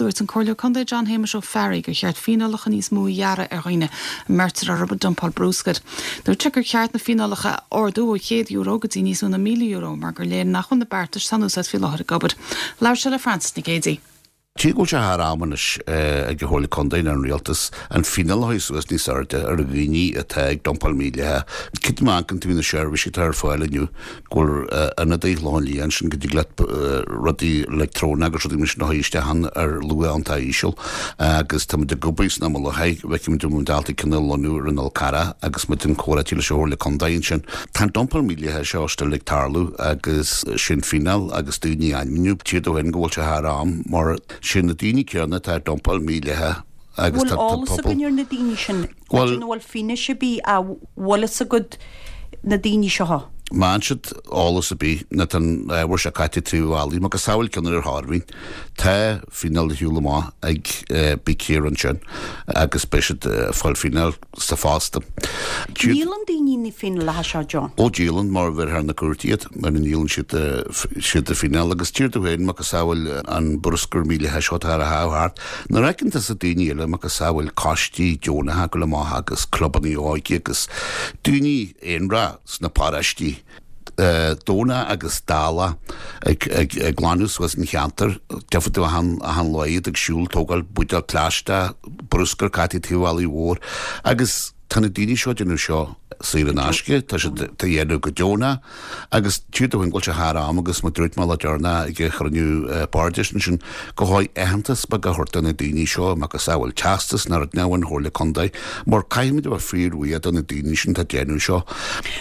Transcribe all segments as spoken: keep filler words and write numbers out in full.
Dúirt an Comhairleoir Contae John Shéamuis Ó Fearraigh gur cheart fíneálacha níos mó a ghearradh ar dhaoine a mbeirtear orthu dumpáil bruscair. Dúirt sé gur cheart na fíneálacha a ardú ó chéad euro go dtí níos mó ná míle euro mar gur léir nach bhfuil na beartais atá in úsáid faoi láthair ag obair. Labhair sé le Francis Nic Géadaigh. Tí go sé thar am anois ag an Chomhairle Contae an rialtas an fíneáil a suas níos airde ar dhaoine atá ag dumpáil mídhleathach. Cad má amharcann tú na seirbhísí atá ar fáil inniu go bhfuil ionadaí Chlochán Liath ansin go dtig leat rudaí leictreonach agus rudaí mar sin a isteach ann ar luach iontach íseal agus tá muid ag obair sna le feicimid um daltaí cineál lonnú ar an Fhál Carrach agus muid an comhráití leis an Chomhairle Contae ansin. Tá an dumpáil mídhleathach seo still ag tarlú agus sin fíneáil agus daoine ainmniú tír do go bhfuil sé thar am mar sin na daoine céanna atá ag dumpáil mídhleathach agus Bhfuil eolas againn ar na daoine sin Bhuel- bhfuil fianaise bí a bhfuil a gud na daoine seo. Má siad eolas a bí na tan bhur se caite trí bhailí, mar go sáhil ceann ar Thairbhín tá fíneáil le hiúl amach ag bí céar ansin agus beidh siad fáil fíneáil sa fásta. Níl an daoine ní féin le seo John. Ó díolann mar bhir thar na cúirtíad mar an nílann siad siad a fíneáil agus tír tú féin mar go sáhil an bruscar mídhleathach seo a thart. Na reicinta sa daoine eile mar go sáhil coistí deonacha go le maith agus clubanna óige agus daoine aonra sna paráistí Dóna agus Dála ag, ag, ag glanadh suas an cheantar defa tú an an loid ag siúl tógáil buidéal plaisteach bruscar caite taobh bealaigh mhór agus tá na daoine seo déanamh seo saor in aisce tá siad tá dhéanamh go deonach agus tír do bhfuil sé thar am agus má dúirt mé le dearna ag chruinniú bairdis sin go háid aitheantas beag a thabhairt do na daoine seo agus a bhfuil teastas nar nehan Chomhairle Contae mar caithfimid a bheith fíorbhuíoch do na daoine sin tá déanamh seo.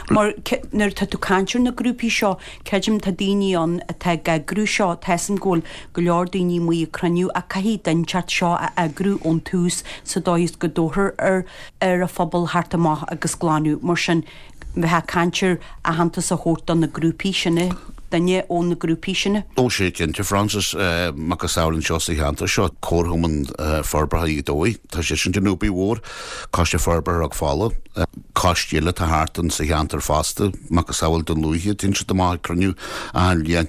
Mar nuair tá tú caint ar na grúpaí seo creidim tá daoine ann atá ag eagrú seo táim go bhfuil go leor daoine amuigh ag cruinniú a caithfidh duine inteacht seo a eagrú ón tús sa dóigh is go dóthar ar ar a phobal thart amach agus glanadh mar sin bheith caint ar aitheantas a thabhairt do na grúpaí sinne duine ó na grúpaí sinne. Ó sé cinnte Francis mar go samhlaíonn seo sa cheantar seo Comharchumann Forbartha Ghaoth Dobhair Tá sé sin den obair mhór Coiste Forbartha Ráth Fola coistí eile tá thart an sa cheantar fosta mar go samhail den luaithe tin siad amach cruinniú an bliain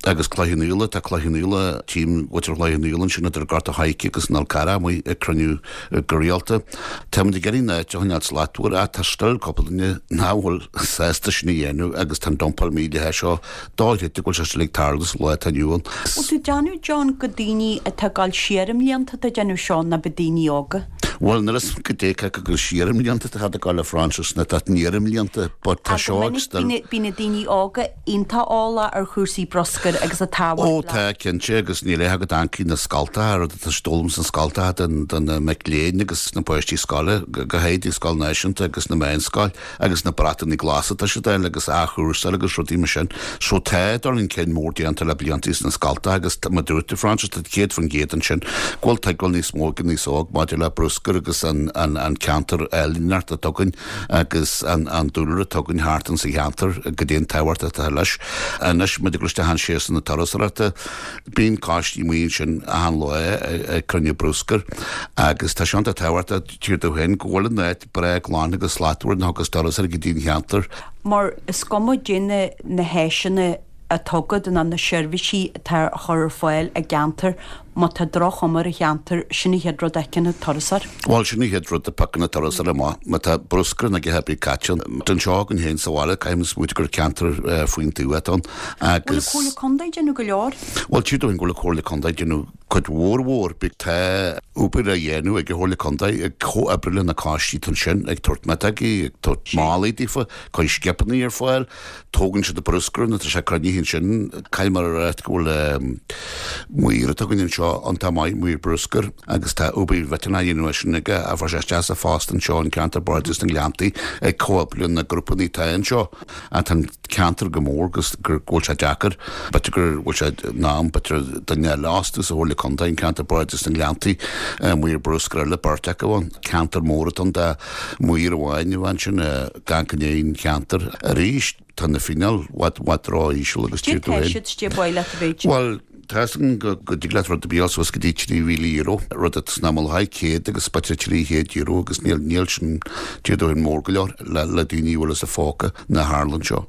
agus Cloich Cheann Fhaola tá Cloich Cheann Fhaola tím bhaitir Chloich Cheann Fhaola sin idir Gort an Choirce agus an Fhál Carrach amuigh ag cruinniú go rialta. Tá muid ag iarraidh an áit a choinneáil slachtmhar ach tá still cúpla duine nach bhfuil sásta sin a dhéanamh agus tá an dumpáil mídhleathach seo dóite go bhfuil sé still ag tarlú sa lá atá inniu ann. Bhfuil tú déanamh John go daoine atá ag dul siar i mblianta atá déanamh seo ná be daoine óga. Well nuair is go dé go siar i mblianta tá go le Francis na tá níar i mblianta, but tá seo ag still Bhí na daoine óga iontach eolach ar chúrsaí bruscair agus a tábhacht Ó tá cinnte agus níl é agad ancí na scoltacha rud atá stólm san scoltacha den den na mic léinn agus na páistí scoile go háirithe scoil náisiúnta agus na meánscoil agus na brataí glasa tá siad eile agus athchúrsáil agus rudaí mar sin. So tá dul chun cinn mór déanta le blianta sna scoltacha agus má dúirt Francis tá céad faoin gcéad ansin go bhfuil tuigbheáil níos mó go níos óg maidir le bruscar agus an, an, an ceantar eilneart a tugann agus an, an dúlra tugann thart an sa cheantar go dtí an tábhacht atá leis. Anois muid ag isteach an séasúr na turasóireachta bíonn coistí amuigh ansin achan lá ag cruinniú bruscar agus tá sé an-tábhachtach tír do féin go bhfuil an áit breá glan agus slachtmhar na agus turasóirí go dtí an cheantar. Mar is cuma déine na háiseanna atá agat ná na seirbhísí atá a chur ar fáil i gceantar má tá droch-chuma ar an cheantar sin an chéad rud a fheiceann an turasóir. Bhuel sin an chéad rud a phiocann an turasóir amach má tá bruscar na gceapí caite den seo againn féin sa bhaile caithfidh muid gur ceantar faoin tuath ann Bhfuil agus Comhairle Contae déanamh go leor? Bhuel tí go bhfuil Comhairle Contae déanamh cuid mhór mhór bí tá obair á dhéanamh ag Comhairle Contae ag comhoibriú le na coistí sin ag tabhairt miotógaí ag tabhairt málaí daofa cur scipeanna ar fáil tógann siad bruscar na tá sé cruinnithe sin caithfidh mar a go bhfuil maor atá againn anseo an tá maith maor bruscar agus tá obair mhillteanach á dhéanamh sin aige a bhfuil sé isteach sa phost anseo an ceantar Bardais na nGleanntaí ag comhoibriú na grúpanna tá anseo a tá an ceantar go mór agus gur go bhfuil sé deacair b'fhéidir gur bhfuil sé ná b'fhéidir duine eile astu sa Chomhairle Contae an ceantar Bardais na nGleanntaí maor bruscar eile beirt acu an ceantar mór atá de maor amháin a bhain sin gan go aon cheantar arís tá na fíneáil bhfad bhfad ró-íseal agus Dé tír tú tá féin. siad dé baile a bhéid. Well Tá go go dtig leat rud a bí suas go dtí trí mhíle euro rud a sna ha céad agus b'fhéidir trí chéad euro agus níl níl sin tíú an mór go leor le le daoine bhfuil sa phóca na harlan seo.